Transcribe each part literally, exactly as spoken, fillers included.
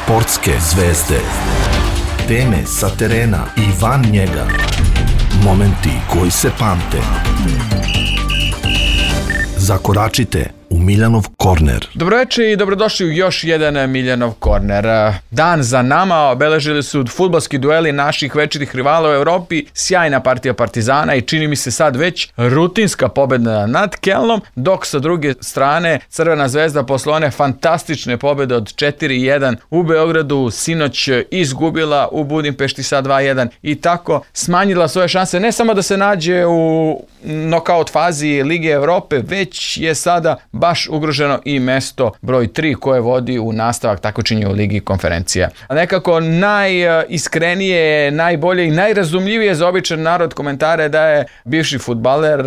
Sportske zvezde. Teme sa terena i van njega. Momenti koji se pamte. Zakoračite u Miljanov korner. Dobroveče i dobrodošli u još jedan Miljanov korner. Dan za nama obeležili su fudbalski dueli naših večitih rivala u Evropi, sjajna partija Partizana i čini mi se sad već rutinska pobjeda nad Kelnom, dok sa druge strane Crvena zvezda posle one fantastične pobjede od četiri jedan u Beogradu sinoć izgubila u Budimpešti sa dva jedan i tako smanjila svoje šanse ne samo da se nađe u nokaut fazi Lige Evrope, već je sada baš ugroženo i mesto broj tri koje vodi u nastavak takmičenja u Ligi konferencija. A nekako najiskrenije, najbolje i najrazumljivije za običan narod komentare da je bivši fudbaler,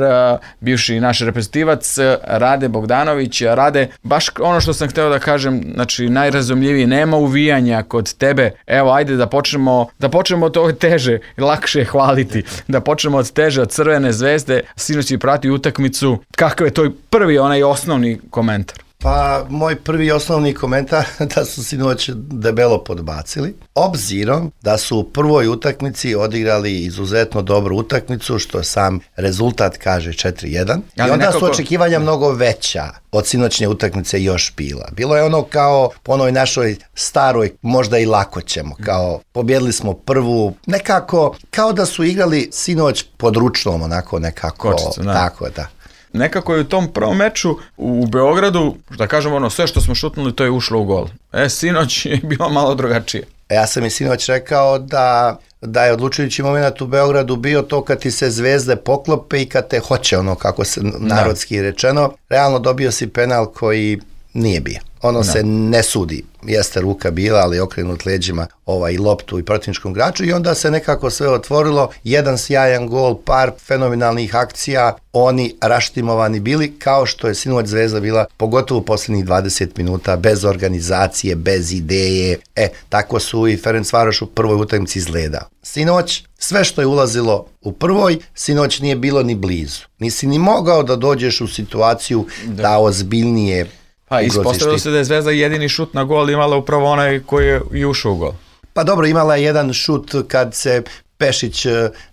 bivši naš reprezentativac Rade Bogdanović. Rade, baš ono što sam hteo da kažem, znači najrazumljiviji, nema uvijanja kod tebe. Evo, ajde da počnemo, da počnemo od toga teže, lakše je hvaliti, da počnemo od teže, od Crvene zvezde. Sinoć je prati utakmicu. Kakav je to prvi, onaj osnovni komentar? Pa, moj prvi osnovni komentar da su sinoć debelo podbacili. Obzirom da su u prvoj utakmici odigrali izuzetno dobru utakmicu, što sam rezultat kaže četiri jedan. I onda nekako su očekivanja mnogo veća od sinoćnje utakmice još bila. Bilo je ono kao po onoj našoj staroj, možda i lako ćemo, kao pobjedili smo prvu, nekako kao da su igrali sinoć pod ručnom, onako nekako. Kočicu, da. Tako, da. Nekako je u tom prvom meču u Beogradu, da kažemo ono, sve što smo šutnuli to je ušlo u gol. E, sinoć je bilo malo drugačije. Ja sam i sinoć rekao da, da je odlučujući moment u Beogradu bio to kad ti se zvezde poklope i kad te hoće, ono kako se narodski da. Rečeno. Realno dobio si penal koji nije bio. Ono da. Se ne sudi. Jeste ruka bila, ali okrenut leđima ovaj, loptu i protivničkom igraču i onda se nekako sve otvorilo. Jedan sjajan gol, par fenomenalnih akcija, oni raštimovani bili kao što je sinoć Zvezda bila, pogotovo u posljednjih dvadeset minuta, bez organizacije, bez ideje. E, tako su i Ferencvaroš u prvoj utakmici izgledao. Sinoć, sve što je ulazilo u prvoj, sinoć nije bilo ni blizu. Nisi ni mogao da dođeš u situaciju da, da ozbiljnije. Pa ispostavilo se da je Zvezda jedini šut na gol imala upravo onaj koji je i ušao u gol. Pa dobro, imala je jedan šut kad se Pešić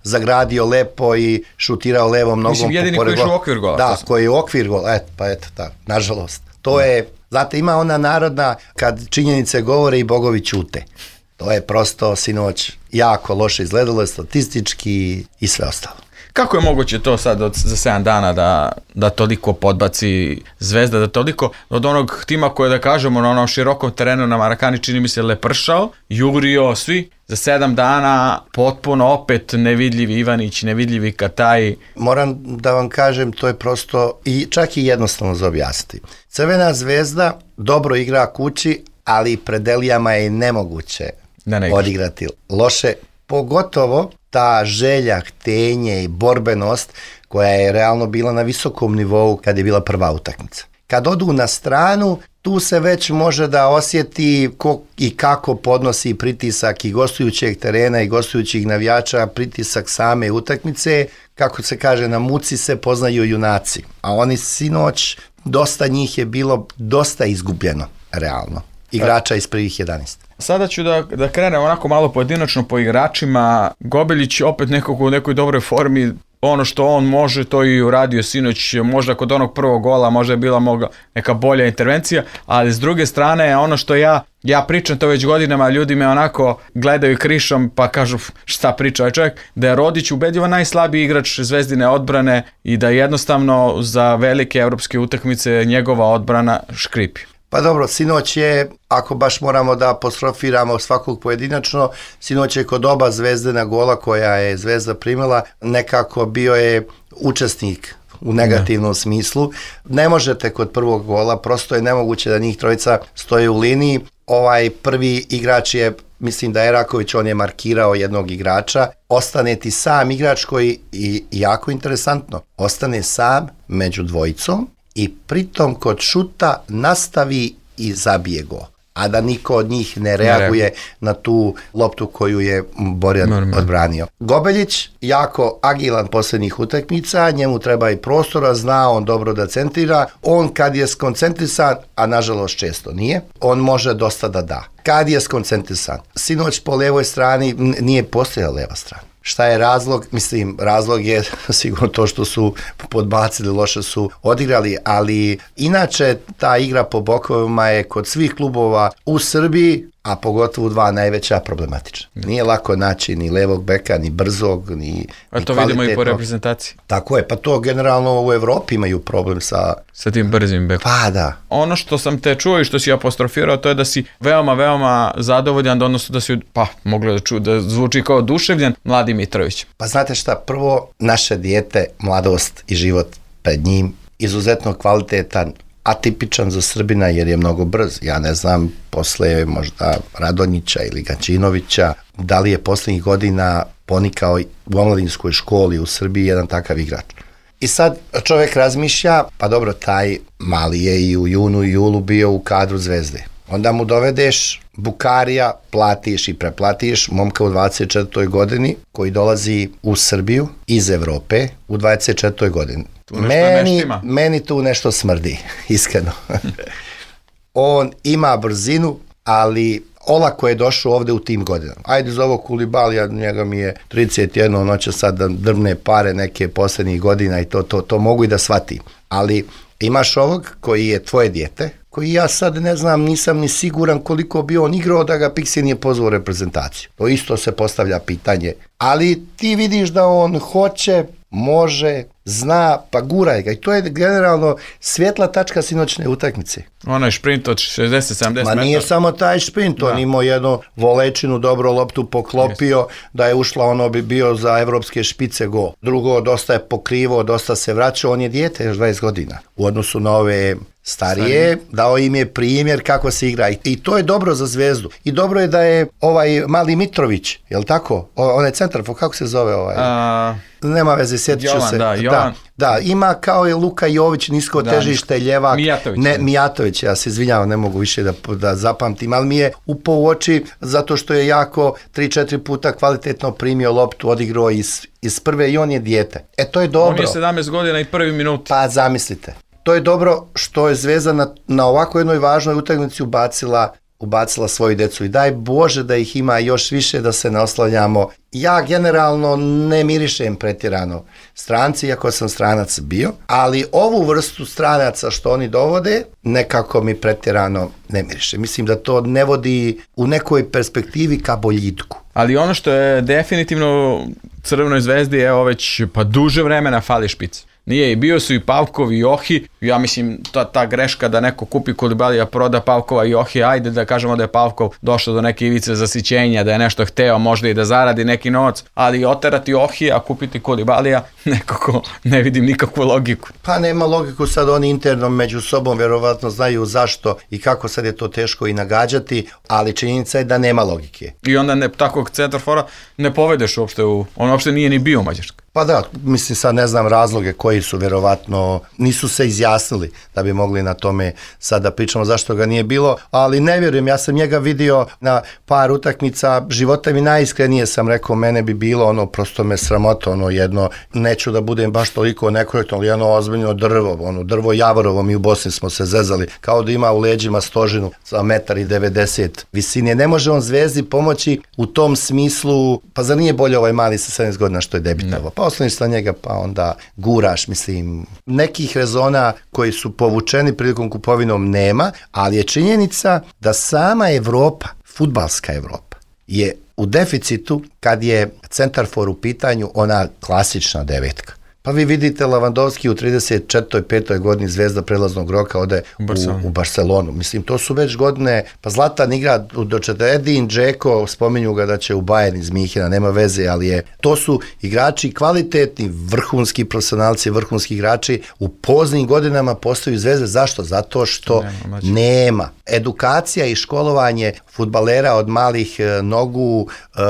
zagradio lepo i šutirao levom nogom. Mislim, jedini koji je u okvir gola. Da, koji je u okvir gola, et, pa eto, da, nažalost. To da. Je, znate, ima ona narodna, kad činjenice govore i bogovi ćute. To je prosto sinoć jako loše izgledalo, statistički i sve ostalo. Kako je moguće to sad od, za sedam dana da, da toliko podbaci Zvezda, da toliko od onog tima koje da kažemo na onom širokom terenu na Marakani čini mi se lepršao, jurio svi, za sedam dana potpuno opet nevidljivi Ivanić, nevidljivi Kataj. Moram da vam kažem, to je prosto i čak i jednostavno za objasniti. Crvena Zvezda dobro igra kući, ali pred Elijama je nemoguće da ne odigrati loše, pogotovo ta želja, htenje i borbenost koja je realno bila na visokom nivou kad je bila prva utakmica. Kad odu na stranu, tu se već može da osjeti ko i kako podnosi pritisak i gostujućeg terena i gostujućih navijača, pritisak same utakmice, kako se kaže, na muci se poznaju junaci. A oni sinoć, dosta njih je bilo dosta izgubljeno, realno. Igrača iz prvih jedanaest. Sada ću da, da krenem onako malo pojedinačno po igračima. Gobelić opet nekako u nekoj dobroj formi, ono što on može to i uradio sinoć, možda kod onog prvog gola možda je bila moga neka bolja intervencija, ali s druge strane ono što ja ja pričam to već godinama, ljudi me onako gledaju krišom pa kažu šta priča ovaj čovjek, da je Rodić ubedljivo najslabiji igrač Zvezdine odbrane i da jednostavno za velike evropske utakmice njegova odbrana škripi. Pa dobro, sinoć je, ako baš moramo da apostrofiramo svakog pojedinačno, sinoć je kod oba Zvezdina gola koja je Zvezda primila, nekako bio je učesnik u negativnom ne. smislu. Ne možete kod prvog gola, prosto je nemoguće da njih trojica stoje u liniji. Ovaj prvi igrač je, mislim da je Eraković, on je markirao jednog igrača. Ostane ti sam igrač koji, i jako interesantno, ostane sam među dvojicom i pritom kod šuta nastavi i zabije go. a da niko od njih ne reaguje ne na tu loptu koju je Borjan Normal. odbranio. Gobeljić, jako agilan posljednjih utakmica, njemu treba i prostora, zna on dobro da centrira, on kad je skoncentrisan, a nažalost često nije, on može dosta da da. Kad je skoncentrisan, sinoć po levoj strani nije postojala leva strana. Šta je razlog? Mislim, razlog je sigurno to što su podbacili, loše su odigrali, ali inače ta igra po bokovima je kod svih klubova u Srbiji, a pogotovo dva najveća problematična. Nije lako naći ni levog beka, ni brzog, ni A to vidimo i po reprezentaciji. Tako je, pa to generalno u Evropi imaju problem sa... Sa tim brzim bekom. Pa da. Ono što sam te čuo i što si apostrofirao, to je da si veoma, veoma zadovoljan, odnosno da si, pa, mogli da ču, da zvuči kao oduševljen, Mladi Mitrović. Pa znate šta, prvo, naše dijete, mladost i život pred njim, izuzetno kvalitetan, atipičan za Srbina jer je mnogo brz. Ja ne znam, posle možda Radonjića ili Gačinovića, da li je posljednjih godina ponikao u omladinskoj školi u Srbiji jedan takav igrač. I sad čovjek razmišlja, pa dobro, taj mali je i u junu i julu bio u kadru Zvezde. Onda mu dovedeš Bukarija, platiš i preplatiš momka u dvadeset četvrtoj godini koji dolazi u Srbiju iz Evrope u dvadeset četvrtoj godini. Meni, meni tu nešto smrdi, iskreno. On ima brzinu, ali olako je došao ovde u tim godinama. Ajde za ovo Kulibalija, njega mi je trideset jedan, on će sad da drvne pare neke posljednjih godina i to, to, to mogu i da shvatim. Ali imaš ovog koji je tvoje dijete, koji ja sad ne znam, nisam ni siguran koliko bi on igrao da ga Pixi nije pozvao reprezentaciju. To isto se postavlja pitanje. Ali ti vidiš da on hoće, može, zna, pa guraj ga. I to je generalno svjetla tačka sinoćne utakmice. Onaj šprint od šezdeset sedamdeset metara. Ma nije samo taj šprint, on imao jednu volečinu, dobro loptu poklopio, yes. Da je ušla, ono bi bio za evropske špice gol. Drugo, dosta je pokrivo, dosta se vraćao, on je dijete još dvadeset godina. U odnosu na ove starije, Starije. Dao im je primjer kako se igra. I to je dobro za Zvezdu. I dobro je da je ovaj Mali Mitrović, je li tako? O, onaj centarfor, kako se zove ovaj? A... Nema veze, sjetit ću se. Da, da, da, ima kao i Luka Jović, nisko da, težište, ljevak. Mijatović. Ne, Mijatović, ja se izvinjavam, ne mogu više da, da zapamtim, ali mi je upao u oči zato što je jako tri četiri puta kvalitetno primio loptu, odigrao iz, iz prve i on je dijete. E, to je dobro. On je sedamnaest godina i prvi minut. Pa zamislite. To je dobro što je Zvezda na, na ovako jednoj važnoj utakmici ubacila ubacila svoju decu i daj Bože da ih ima još više, da se ne oslanjamo. Ja generalno ne mirišem pretjerano stranci, iako sam stranac bio, ali ovu vrstu stranaca što oni dovode, nekako mi pretjerano ne miriše. Mislim da to ne vodi u nekoj perspektivi ka boljitku. Ali ono što je definitivno Crvenoj Zvezdi, evo već pa duže vremena fali špic. Nije, i bio su i Pavkov i Johi, ja mislim ta, ta greška da neko kupi Kulibalija, proda Pavkova i Johi, ajde da kažemo da je Pavkov došao do neke ivice zasićenja, da je nešto hteo možda i da zaradi neki novac, ali oterati Johi, a kupiti Kulibalija, nekako ne vidim nikakvu logiku. Pa nema logiku, sad oni interno među sobom vjerovatno znaju zašto i kako sad je to teško i nagađati, ali činjenica je da nema logike. I onda ne, takvog centarfora ne povedeš uopšte u, on uopšte nije ni bio u Mađarskoj. Pa da, mislim sad ne znam razloge koji su vjerovatno, nisu se izjasnili da bi mogli na tome sad da pričamo zašto ga nije bilo, ali ne vjerujem, ja sam njega vidio na par utakmica, života mi najiskrenije sam rekao, mene bi bilo ono, prosto me sramota, ono jedno, neću da budem baš toliko nekorektno, ali jedno ozbiljno drvo, ono drvo Javorovo, mi u Bosni smo se zezali, kao da ima u leđima stožinu za metar i devedeset visine, ne može on Zvezdi pomoći u tom smislu, pa zar nije bolje ovaj mali sa sedamnaest godina što je debitavo, pa osloniš sa njega, pa onda guraš, mislim, nekih rezona koji su povučeni prilikom kupovinom nema, ali je činjenica da sama Evropa, fudbalska Evropa, je u deficitu kad je centarfor u pitanju ona klasična devetka. Pa vi vidite Lavandovski u trideset četvrtoj petoj godini Zvezda prelaznog roka ode u, u Barcelonu. Mislim, to su već godine, pa Zlatan igra do četrdeset, Edin, Džeko, spominju ga da će u Bayern iz Minhena, nema veze, ali je, to su igrači kvalitetni, vrhunski profesionalci, vrhunski igrači, u poznim godinama postaju Zvezde. Zašto? Zato što nema, nema. Edukacija i školovanje fudbalera od malih e, nogu, e,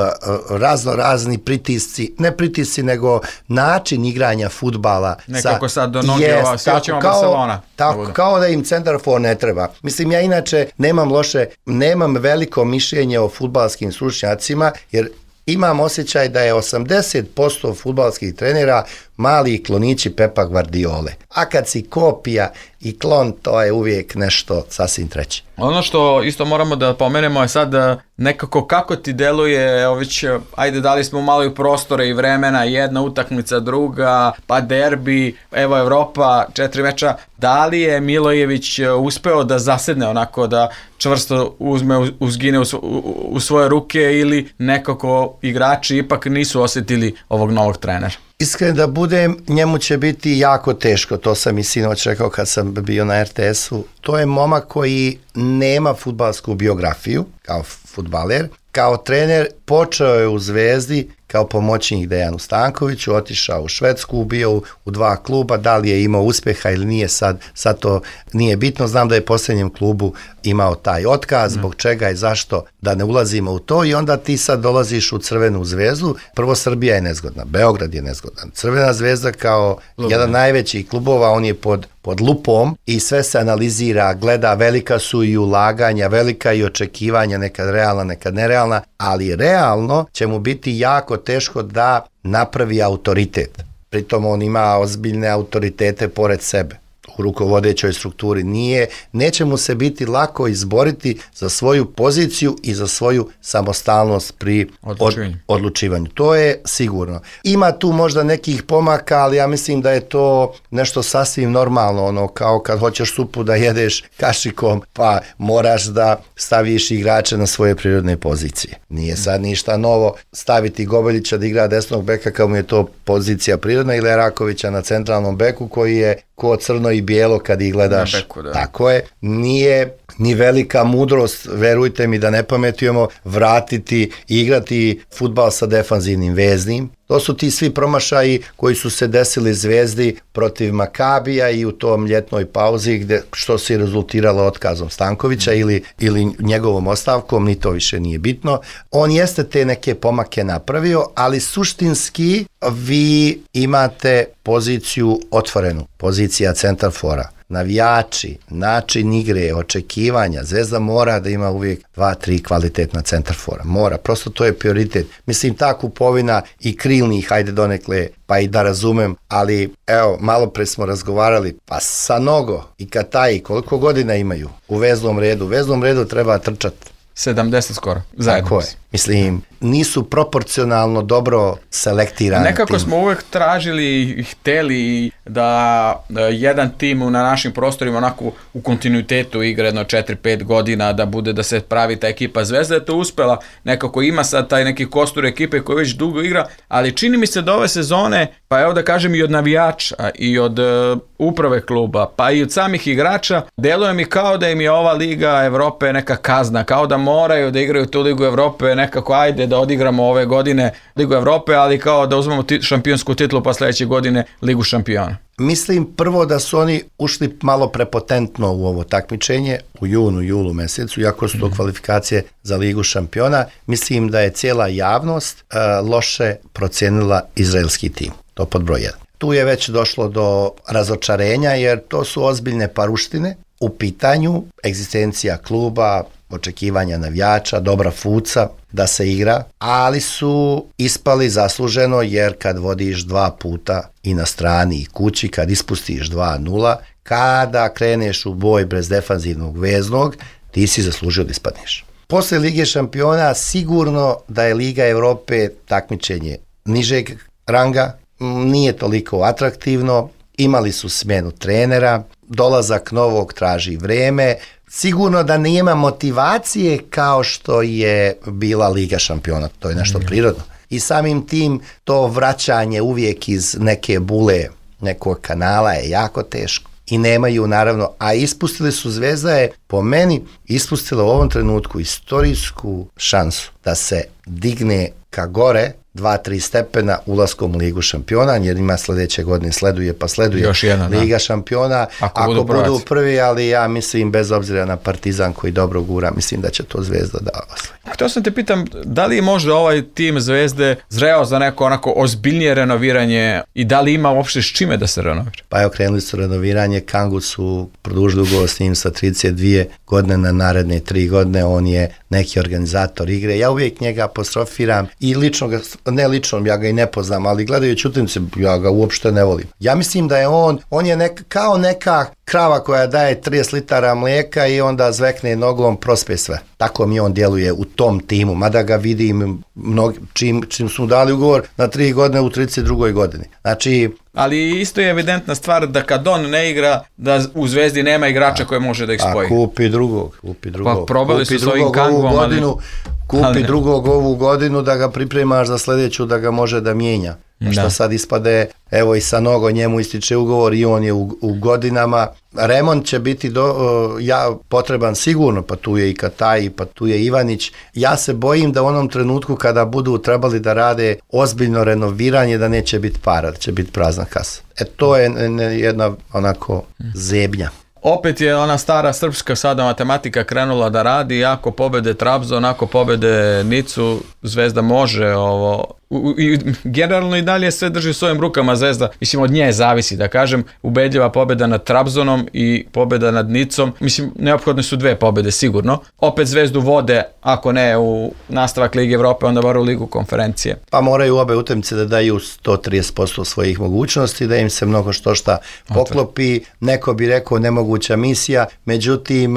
razno razni pritisci, ne pritisci, nego način igranja igranja fudbala. Nekako sad do noge yes, ova sjećamo Barcelona. Tako, da kao da im centar for ne treba. Mislim, ja inače nemam loše, nemam veliko mišljenje o fudbalskim stručnjacima, jer imam osjećaj da je osamdeset posto fudbalskih trenera mali klonići Pepa Guardiole. A kad si kopija i klon, to je uvijek nešto sasvim treće. Ono što isto moramo da pomenemo je sad nekako kako ti deluje, evo već, ajde dali smo malo i prostore i vremena, jedna utakmica, druga, pa derbi, evo Evropa, četiri meča. Da li je Milojević uspeo da zasedne onako, da čvrsto uzme, uzgine u, u, u svoje ruke, ili nekako igrači ipak nisu osjetili ovog novog trenera? Iskren da budem, njemu će biti jako teško, to sam i sinoć rekao kad sam bio na er te esu. To je momak koji nema fudbalsku biografiju kao fudbaler. Kao trener počeo je u Zvezdi kao pomoćnik Dejanu Stankoviću, otišao u Švedsku, bio u, u dva kluba, da li je imao uspjeha ili nije, sad, sad to nije bitno. Znam da je posljednjem klubu imao taj otkaz, zbog čega i zašto, da ne ulazimo u to, i onda ti sad dolaziš u Crvenu Zvezdu. Prvo, Srbija je nezgodna, Beograd je nezgodan. Crvena Zvezda kao Lubo. jedan najvećih klubova, on je pod, pod lupom i sve se analizira, gleda, velika su i ulaganja, velika i očekivanja, nekad realna, nekad nerealna, ali realno će mu biti jako teško da napravi autoritet. Pritom on ima ozbiljne autoritete pored sebe u rukovodećoj strukturi. Nije, neće mu se biti lako izboriti za svoju poziciju i za svoju samostalnost pri odlučivanju. Od, odlučivanju. To je sigurno. Ima tu možda nekih pomaka, ali ja mislim da je to nešto sasvim normalno, ono kao kad hoćeš supu da jedeš kašikom, pa moraš da staviš igrače na svoje prirodne pozicije. Nije sad ništa novo staviti Gobeljića da igra desnog beka kao mu je to pozicija prirodna, ili Rakovića na centralnom beku koji je ko crno i bijelo kad ih gledaš. Beku, da. Tako je. Nije ni velika mudrost, verujte mi da ne pametujemo, vratiti, igrati fudbal sa defanzivnim veznim. To su ti svi promašaji koji su se desili Zvezdi protiv Makabija i u tom ljetnoj pauzi, gde, što se rezultiralo otkazom Stankovića ili, ili njegovom ostavkom, ni to više nije bitno. On jeste te neke pomake napravio, ali suštinski vi imate poziciju otvorenu, pozicija centarfora. Navijači, način igre, očekivanja, Zvezda mora da ima uvijek dva, tri kvalitetna centarfora. Mora, prosto to je prioritet. Mislim, ta kupovina i krilnih, hajde donekle, pa i da razumem, ali evo, malo pre smo razgovarali, pa Sanogo i Kataji, koliko godina imaju u veznom redu? U veznom redu treba trčati. sedamdeset skoro, zajedno. Tako je. Mislim, nisu proporcionalno dobro selektirani. Nekako tim. smo uvek tražili i hteli da, da jedan tim na našim prostorima onako u kontinuitetu igra jedno četiri pet godina, da bude, da se pravi ta ekipa. Zvezda je to uspela, nekako ima sad taj neki kostur ekipe koji već dugo igra, ali čini mi se da ove sezone, pa evo da kažem i od navijača i od uh, uprave kluba, pa i od samih igrača, deluje mi kao da im je ova Liga Evrope neka kazna, kao da moraju da igraju tu Ligu Evrope, nekako ajde da odigramo ove godine Ligu Evrope, ali kao da uzmemo tit, šampionsku titulu pa sljedeće godine Ligu šampiona. Mislim prvo da su oni ušli malo prepotentno u ovo takmičenje u junu, julu mesecu, iako su to kvalifikacije za Ligu šampiona. Mislim da je cijela javnost uh, loše procijenila izraelski tim. To pod broj jedan. Tu je već došlo do razočarenja jer to su ozbiljne paruštine u pitanju, egzistencija kluba, očekivanja navijača, dobra fuca da se igra, ali su ispali zasluženo jer kad vodiš dva puta i na strani i kući, kad ispustiš dva nula, kada kreneš u boj bez defanzivnog veznog, ti si zaslužio da ispadneš. Posle Lige šampiona sigurno da je Liga Evrope takmičenje nižeg ranga, nije toliko atraktivno, imali su smjenu trenera, dolazak novog traži vreme, sigurno da nema motivacije kao što je bila Liga šampiona, to je nešto prirodno. I samim tim to vraćanje uvijek iz neke bule, nekog kanala je jako teško. I nemaju naravno, a ispustili su, Zvezda je po meni ispustila u ovom trenutku istorijsku šansu da se digne ka gore dva tri stepena ulaskom u Ligu šampiona, jer ima sledeće godine sleduje pa sleduje još jedna, Liga da. šampiona, ako, ako budu, budu prvi, ali ja mislim bez obzira na Partizan koji dobro gura, mislim da će to Zvezda da osvoji. Htio sam te pitam, da li je možda ovaj tim Zvezde zreo za neko onako ozbiljnije renoviranje i da li ima uopšte s čime da se renovira? Pa evo, krenuli su renoviranje, Kangu su produžili ugovor s njim sa trideset dvije godine na naredne tri godine, on je neki organizator igre, ja uvijek njega apostrofiram i lično ga, ne lično, ja ga i ne poznam, ali gledajući utakmice, ja ga uopšte ne volim. Ja mislim da je on, on je nek, kao neka krava koja daje trideset litara mlijeka i onda zvekne nogom, prospe sve. Tako mi on djeluje u tom timu, mada ga vidim mnogi, čim, čim su mu dali ugovor na tri godine u trideset drugoj godini. Znači, ali isto je evidentna stvar da kad on ne igra, da u Zvezdi nema igrača koje može da ih spoji. A kupi drugog, kupi drugog. Pa probali kupi su s ovim Kangom, godinu, ali... Kupi ali drugog ovu godinu da ga pripremaš za sljedeću, da ga može da mijenja. Da. Što sad ispade, evo i sa Nogo njemu ističe ugovor i on je u, u godinama. Remont će biti do, ja, potreban sigurno, pa tu je i Kataj, pa tu je Ivanić. Ja se bojim da u onom trenutku kada budu trebali da rade ozbiljno renoviranje, da neće biti para, da će biti prazna kasa. E to je jedna onako zebnja. Opet je ona stara srpska sada matematika krenula da radi, ako pobede Trabzon, ako pobede Nicu, Zvezda može ovo... U, i generalno i dalje sve drži u svojim rukama Zvezda, mislim od nje zavisi da kažem, ubedljiva pobjeda nad Trabzonom i pobjeda nad Nicom, mislim neophodne su dve pobjede sigurno, opet Zvezdu vode, ako ne u nastavak Lige Evrope, onda bar u Ligu konferencije. Pa moraju obe utakmice da daju sto trideset posto svojih mogućnosti, da im se mnogo što šta poklopi, neko bi rekao nemoguća misija, međutim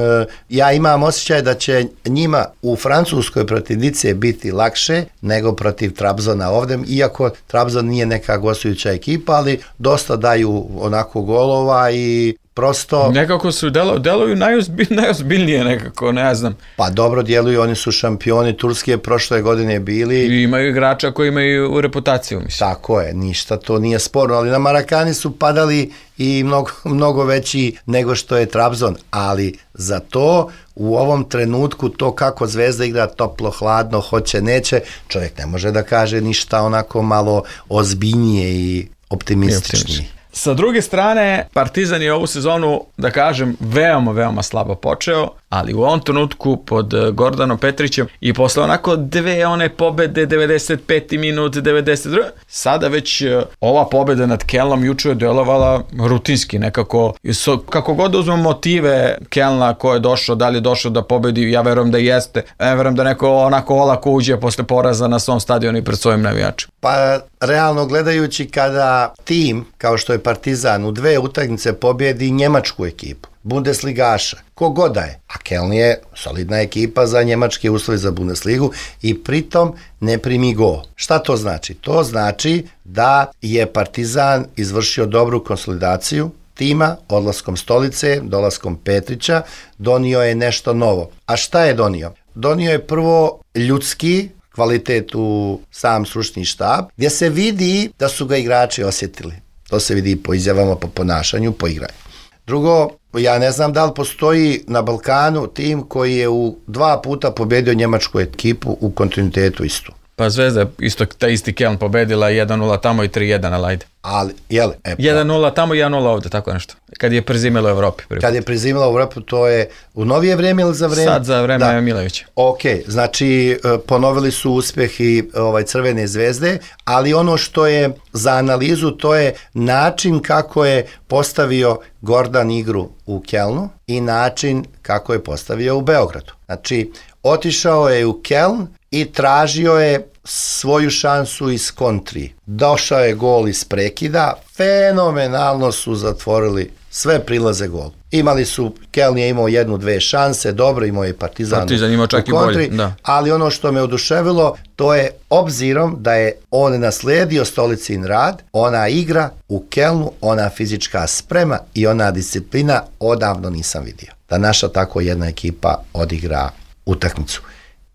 ja imam osjećaj da će njima u Francuskoj protiv Nice biti lakše nego protiv Trabzona ovdje, iako Trabzon nije neka gostujuća ekipa, ali dosta daju onako golova i prosto... Nekako su delo, deluju najozbilj, najozbiljnije nekako, ne znam. Pa dobro djeluju, oni su šampioni Turske prošle godine bili. I imaju igrača koji imaju reputaciju, mislim. Tako je, ništa to nije sporno, ali na Marakani su padali i mnogo, mnogo veći nego što je Trabzon, ali za to u ovom trenutku to kako Zvezda igra toplo, hladno, hoće, neće, čovjek ne može da kaže ništa onako malo ozbiljnije i optimističnije. Sa druge strane, Partizan je ovu sezonu, da kažem, veoma, veoma slabo počeo, ali u ovom trenutku pod Gordanom Petrićem i posle onako dve one pobede, devedeset peti minut, devedeset drugi sada već ova pobeda nad Kelnom juče je delovala rutinski nekako, kako god uzmemo motive Kelna ko je došao, da li je došao da pobedi, ja verujem da jeste, ja verujem da neko onako olako uđe posle poraza na svom stadionu i pred svojim navijačima. Pa realno gledajući kada tim, kao što je Partizan, u dve utakmice pobjedi njemačku ekipu, Bundesligaša, kogod da je, a Keln je solidna ekipa za njemačke uslove za Bundesligu i pritom ne primi gol. Šta to znači? To znači da je Partizan izvršio dobru konsolidaciju tima, odlaskom Stolice, dolaskom Petrića, donio je nešto novo. A šta je donio? Donio je prvo ljudski kvalitet u sam stručni štab, gdje se vidi da su ga igrači osjetili. To se vidi po izjavama, po ponašanju, po igranju. Drugo, ja ne znam da li postoji na Balkanu tim koji je u dva puta pobedio njemačku ekipu u kontinuitetu istu. Pa Zvezda isto, ta isti Keln pobedila jedan nula tamo i tri jedan, ali ajde. Ali, jel? E, jedan nula tamo i jedan nula ovdje, tako nešto. Kad je prezimilo u Evropi. Kad je prezimilo u Evropi, to je u novije vrijeme ili za vrijeme? Sad za vrijeme da. Milovića. Ok, znači ponovili su uspjeh i ovaj, Crvene Zvezde, ali ono što je za analizu, to je način kako je postavio Gordan igru u Kelnu i način kako je postavio u Beogradu. Znači, otišao je u Keln i tražio je svoju šansu iz kontri. Došao je gol iz prekida, fenomenalno su zatvorili sve prilaze gol. Imali su, Keln je imao jednu, dve šanse, dobro, imao je Partizan, Partizan imao čak u kontri, i bolje, da. Ali ono što me oduševilo, to je obzirom da je on naslijedio Stolicin rad, ona igra u Kelnu, ona fizička sprema i ona disciplina odavno nisam vidio. Da naša tako jedna ekipa odigra utakmicu.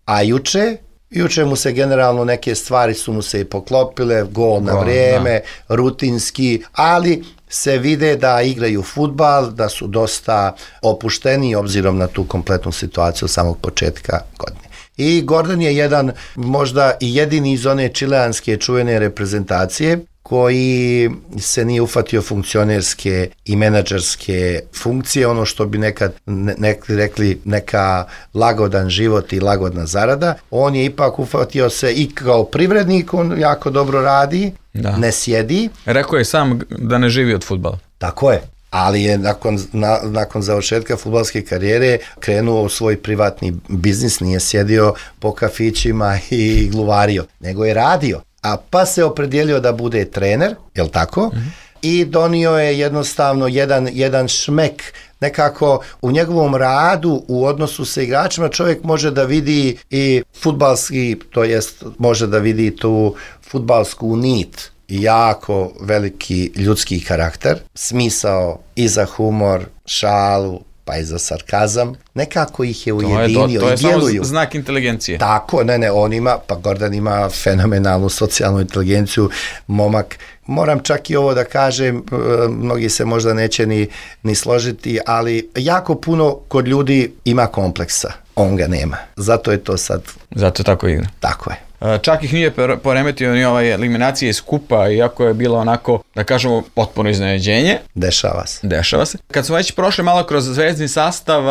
A juče, juče mu se generalno neke stvari su mu se i poklopile, gol na vrijeme, da. Rutinski, ali se vide da igraju fudbal, da su dosta opušteni obzirom na tu kompletnu situaciju od samog početka godine. I Gordon je jedan možda i jedini iz one čileanske čuvene reprezentacije koji se nije ufatio funkcionerske i menadžerske funkcije, ono što bi nekad ne, rekli neka lagodan život i lagodna zarada. On je ipak ufatio se i kao privrednik, on jako dobro radi, da. Ne sjedi. Rekao je sam da ne živi od fudbala. Tako je. Ali je nakon, na, nakon završetka fudbalske karijere krenuo u svoj privatni biznis, nije sjedio po kafićima i gluvario, nego je radio. A pa se opredijelio da bude trener, jel tako? Mm-hmm. I donio je jednostavno jedan, jedan šmek, nekako u njegovom radu, u odnosu sa igračima, čovjek može da vidi i fudbalski, to jest može da vidi tu fudbalsku nit, jako veliki ljudski karakter, smisao i za humor, šalu, pa i za sarkazam, nekako ih je ujedinio to je, to, to je i djeluju. Samo znak inteligencije. Tako, ne, ne, on ima, pa Gordon ima fenomenalnu socijalnu inteligenciju, momak. Moram čak i ovo da kažem, mnogi se možda neće ni, ni složiti, ali jako puno kod ljudi ima kompleksa. On ga nema. Zato je to sad... Zato tako igra. Tako je. Čak ih nije poremetio ni ova eliminacija iz kupa, iako je bilo onako, da kažemo, potpuno iznenađenje. Dešava se. Dešava se. Kad smo već prošli malo kroz zvezdni sastav,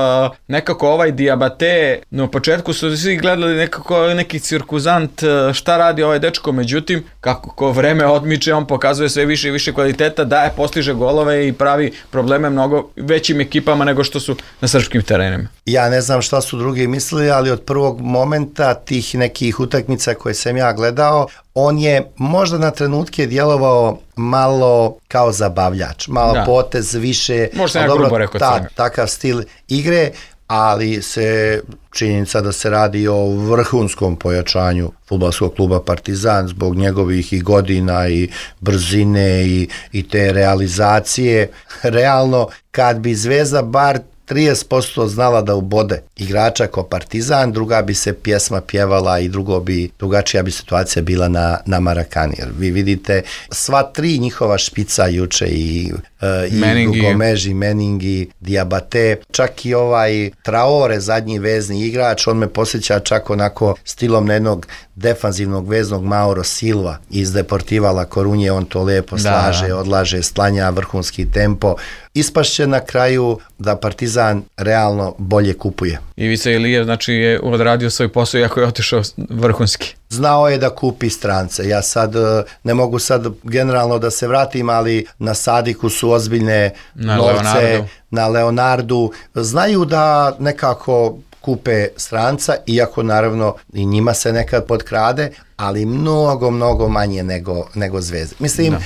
nekako ovaj Diabate, no početku su svi gledali nekako neki cirkuzant, šta radi ovaj dečko, međutim, kako ko vreme odmiče, on pokazuje sve više i više kvaliteta, daje, postiže golove i pravi probleme mnogo većim ekipama nego što su na srpskim terenima. Ja ne znam šta su drugi mislili, ali od prvog momenta tih nekih utakmica koje sam ja gledao, on je možda na trenutke djelovao malo kao zabavljač, malo da. Potez više, možda ja grubo rekao ta, takav stil igre, ali se činjenica da se radi o vrhunskom pojačanju fudbalskog kluba Partizan zbog njegovih i godina i brzine i, i te realizacije. Realno, kad bi Zvezda bar trideset posto znala da ubode igrača ko Partizan, druga bi se pjesma pjevala i drugo bi, drugačija bi situacija bila na, na Marakani. Jer vi vidite sva tri njihova špica juče i, uh, i Gomeži, Meningi, Diabate, čak i ovaj Traore, zadnji vezni igrač, on me posjeća čak onako stilom na jednog defanzivnog veznog Mauro Silva iz Deportiva La Corunje, on to lijepo slaže, da. Odlaže, stlanja, vrhunski tempo. Ispašće na kraju da Partizan realno bolje kupuje. Ivica Ilijev znači je odradio svoj posao iako je otišao vrhunski. Znao je da kupi strance. Ja sad ne mogu sad generalno da se vratim, ali na Sadiku su ozbiljne na novce, Leonardu. na Leonardu. Znaju da nekako kupe stranca, iako naravno i njima se nekad potkrade, ali mnogo, mnogo manje nego, nego Zvezde. Mislim, da.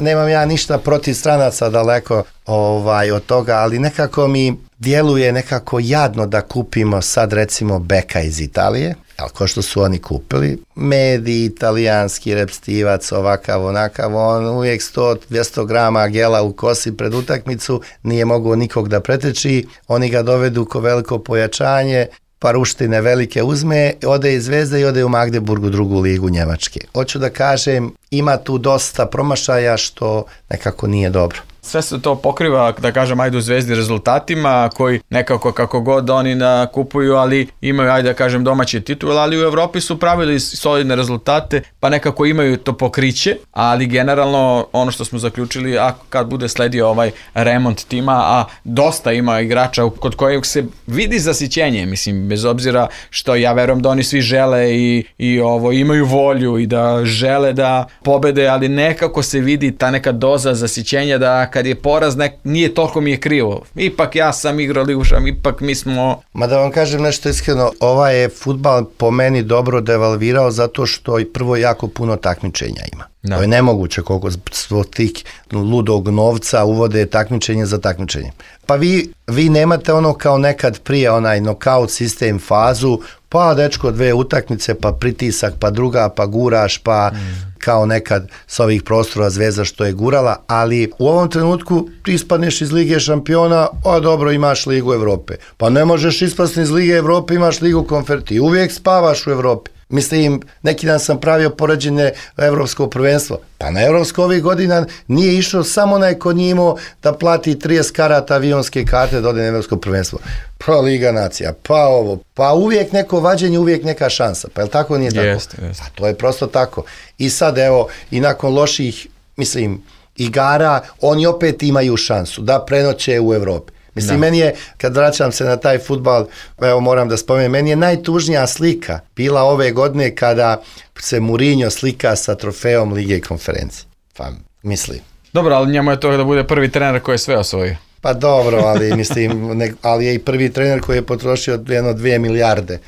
Nemam ja ništa protiv stranaca daleko ovaj, od toga, ali nekako mi djeluje nekako jadno da kupimo sad recimo beka iz Italije, ali ko što su oni kupili, mediji, italijanski repstivac, ovakav, onakav, on uvijek sto do dvjesto grama gela u kosi pred utakmicu, nije mogao nikog da preteči, oni ga dovedu ko veliko pojačanje, pa ruštine velike uzme, ode iz Zvezde i ode u Magdeburgu, drugu ligu Njemačke. Hoću da kažem, ima tu dosta promašaja što nekako nije dobro. Sve se to pokriva, da kažem, ajde u Zvezdi rezultatima koji nekako kako god oni nakupuju, ali imaju, ajde da kažem, domaće titule, ali u Evropi su pravili solidne rezultate, pa nekako imaju to pokriće, ali generalno ono što smo zaključili, a kad bude sledio ovaj remont tima, a dosta ima igrača kod kojeg se vidi zasićenje, mislim, bez obzira što ja verujem da oni svi žele i, i ovo imaju volju i da žele da pobede, ali nekako se vidi ta neka doza zasićenja da kad je poraz, nek, nije toliko mi je krivo. Ipak ja sam igrao ligu šampiona, ipak mi smo... Ma da vam kažem nešto iskreno, ovaj je fudbal po meni dobro devalvirao zato što i prvo jako puno takmičenja ima. Da. To je nemoguće koliko svog tih ludog novca uvode takmičenje za takmičenje. Pa vi, vi nemate ono kao nekad prije onaj knockout sistem fazu, pa dečko dve utakmice, pa pritisak, pa druga, pa guraš, pa mm. kao nekad s ovih prostora Zvezda što je gurala, ali u ovom trenutku ti ispadneš iz Lige šampiona, a dobro, imaš Ligu Evrope. Pa ne možeš ispasti iz Lige Evrope, imaš Ligu konferencije, uvijek spavaš u Evropi. Mislim, neki dan sam pravio poređenje evropskog prvenstva. Pa na evropsko ovih godina nije išao samo onaj ko nije imao da plati trideset karata avionske karte da ode na evropsko prvenstvo. Pa Liga nacija, pa ovo, pa uvijek neko vađenje, uvijek neka šansa. Pa je li tako, nije tako? Jeste, jeste. Pa to je prosto tako. I sad evo, i nakon loših, mislim, igara, oni opet imaju šansu da prenoće u Evropi. Mislim, da. Meni je, kad vraćam se na taj fudbal, evo moram da spomenem, meni je najtužnija slika bila ove godine kada se Mourinho slika sa trofejom Lige konferencije. Pa, mislim. Dobro, ali njemu je to da bude prvi trener koji je sve osvojio. Pa dobro, ali mislim, ne, ali je i prvi trener koji je potrošio jedno dvije milijarde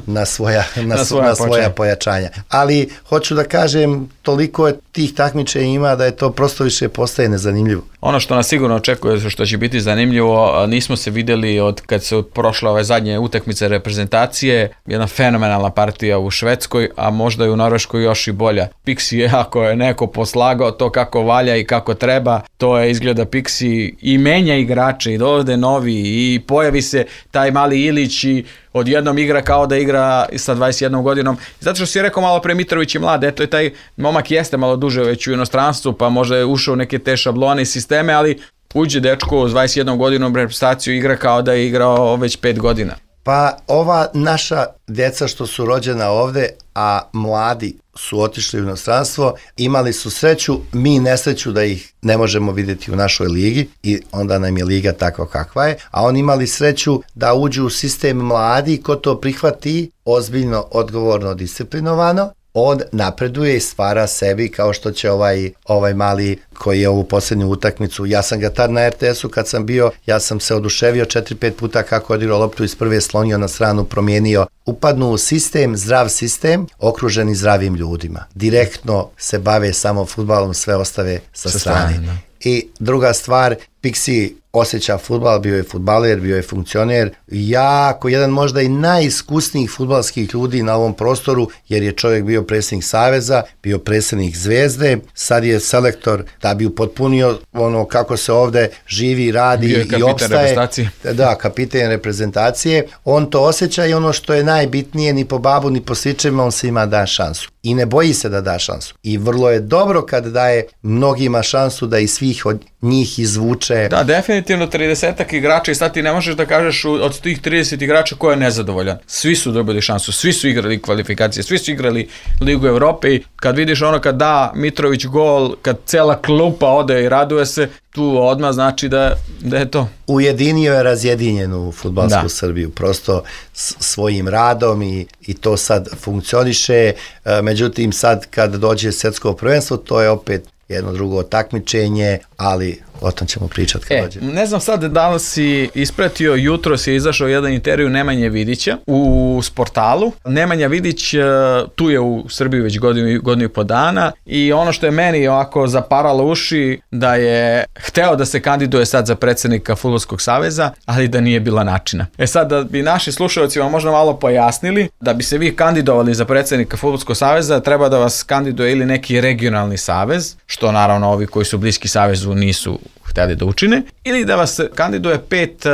na svoja, na, na svoja, na svoja pojačanja. Ali hoću da kažem, toliko je tih takmičenja ima da je to prosto više postaje nezanimljivo. Ono što nas sigurno očekuje, što će biti zanimljivo, nismo se vidjeli od kad su prošle ove zadnje utakmice reprezentacije, jedna fenomenalna partija u Švedskoj, a možda i u Norveškoj još i bolja. Pixi, ako je neko poslagao to kako valja i kako treba, to je izgleda Pixi i menja igrače i dovode novi i pojavi se taj mali Ilić i odjednom igra kao da igra sa dvadeset jednom godinom. Zato što si rekao malo pre, Mitrović je mlad, eto je taj momak jeste malo duže već u inostranstvu, pa možda je ušao u neke te šablone i sisteme, ali uđe dečko s dvadeset jednom godinom reprezentaciju, igra kao da je igrao već pet godina. Pa ova naša djeca što su rođena ovde, a mladi su otišli u inostranstvo, imali su sreću, mi nesreću da ih ne možemo vidjeti u našoj ligi i onda nam je liga takva kakva je, a oni imali sreću da uđu u sistem mladi, ko to prihvati ozbiljno, odgovorno, disciplinovano, on napreduje i stvara sebi, kao što će ovaj, ovaj mali koji je ovu posljednju utakmicu, ja sam ga tad na er te esu kad sam bio, ja sam se oduševio četiri pet puta kako je odigrao loptu iz prve, slonio na stranu, promijenio, upadnu u sistem, zdrav sistem, okruženi zdravim ljudima. Direktno se bave samo fudbalom, sve ostave sa, sa strane. strane I druga stvar, Pixi osjeća fudbal, bio je fudbaler, bio je funkcioner, jako, jedan možda i najiskusnijih fudbalskih ljudi na ovom prostoru, jer je čovjek bio predsjednik Saveza, bio predsjednik Zvezde, sad je selektor da bi upotpunio ono kako se ovdje živi, radi i opstaje. Da, kapiten reprezentacije. On to osjeća i ono što je najbitnije, ni po babu, ni po sličevima, on se ima da šansu. I ne boji se da da šansu. I vrlo je dobro kad daje mnogima šansu da i svih od njih izvuče. Da, definitivno tridesetak igrača i sad ti ne možeš da kažeš od tih trideset igrača ko je nezadovoljan. Svi su dobili šansu, svi su igrali kvalifikacije, svi su igrali Ligu Evrope i kad vidiš ono kad da Mitrović gol, kad cela klupa ode i raduje se, tu odmah znači da, da je to. Ujedinio je razjedinjenu fudbalsku da. Srbiju, prosto svojim radom i, i to sad funkcioniše, međutim sad kad dođe svjetsko prvenstvo, to je opet jedno drugo takmičenje, ali o tom ćemo pričati kad e, dođe. Ne znam sad da li si ispratio, jutro si izašao jedan intervju Nemanje Vidića u Sportalu. Nemanja Vidić tu je u Srbiji već godinu, godinu i po dana i ono što je meni ovako zaparalo uši da je hteo da se kandiduje sad za predsjednika Fudbalskog saveza, ali da nije bila načina. E sad da bi naši slušalci vam možda malo pojasnili, da bi se vi kandidovali za predsjednika Fudbalskog saveza treba da vas kandiduje ili neki regionalni savez, što naravno ovi koji su bliski savezu nisu htjeli da učine, ili da vas kandiduje pet uh,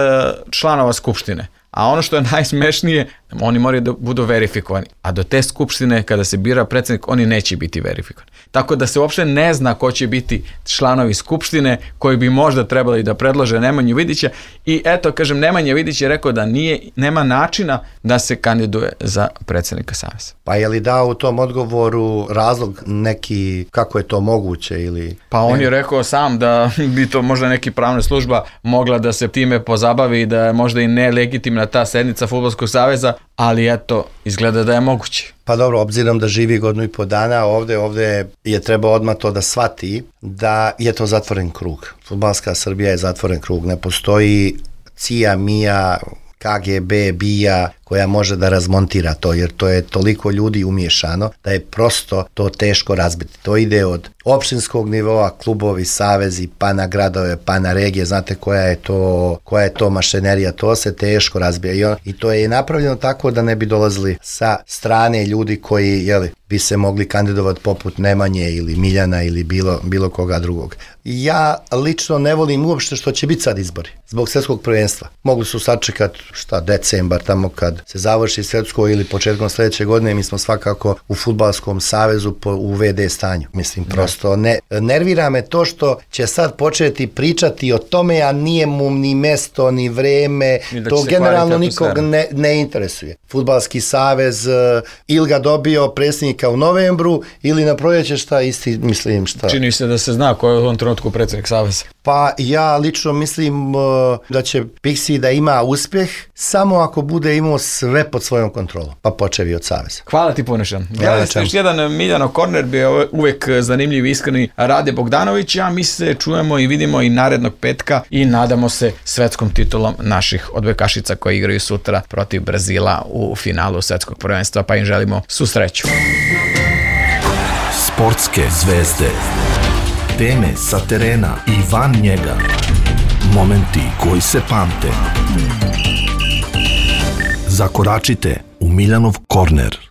članova skupštine. A ono što je najsmešnije, oni moraju da budu verifikovani. A do te skupštine, kada se bira predsjednik, oni neće biti verifikovani. Tako da se uopšte ne zna ko će biti članovi skupštine koji bi možda trebali da predlože Nemanju Vidića. I eto, kažem, Nemanja Vidić je rekao da nije, nema načina da se kandiduje za predsjednika saveza. Pa je li dao u tom odgovoru razlog neki kako je to moguće ili... Pa on je rekao sam da bi to možda neki pravna služba mogla da se time pozabavi, da je možda i nelegitimna ta sednica Fudbalskog saveza, ali eto, izgleda da je moguće. Pa dobro, obzirom da živi godinu i po dana ovde, ovde je trebao odmah to da shvati da je to zatvoren krug. Fudbalska Srbija je zatvoren krug, ne postoji cija, mija, ka ge be, bija koja može da razmontira to, jer to je toliko ljudi umiješano da je prosto to teško razbiti. To ide od opštinskog nivoa, klubovi, savezi, pa na gradove, pa na regije, znate koja je to, koja je to mašinerija, to se teško razbija. I, on, i to je napravljeno tako da ne bi dolazili sa strane ljudi koji, jeli, bi se mogli kandidovati poput Nemanje ili Miljana ili bilo, bilo koga drugog. Ja lično ne volim uopšte što će biti sad izbori zbog svjetskog prvenstva. Mogli su sačekati šta decembar tamo kad se završi svjetsko ili početkom sljedeće godine. Mi smo svakako u Fudbalskom savezu po, u ve de stanju. Mislim, prosto ne, nervira me to što će sad početi pričati o tome, a nije mu ni mesto, ni vreme, to generalno nikog ne, ne interesuje. Fudbalski savez ili ga dobio predsjednika u novembru ili na proljeće, šta isti, mislim šta. Čini se da se zna ko je u ovom trenutku predsjednik saveza. Pa ja lično mislim uh, da će Pixi da ima uspjeh samo ako bude imao sve pod svojom kontrolom, pa počevi od saveza. Hvala ti puno šan. Gledali ste još jedan Miljanov korner, bio uvek zanimljiv i iskreni Rade Bogdanović, a mi se čujemo i vidimo i narednog petka i nadamo se svetskom titulom naših odbojkašica koji igraju sutra protiv Brazila u finalu svetskog prvenstva, pa im želimo svu sreću. Sportske zvezde, teme sa terena i van njega, momenti koji se pamte. Zakoračite u Miljanov korner.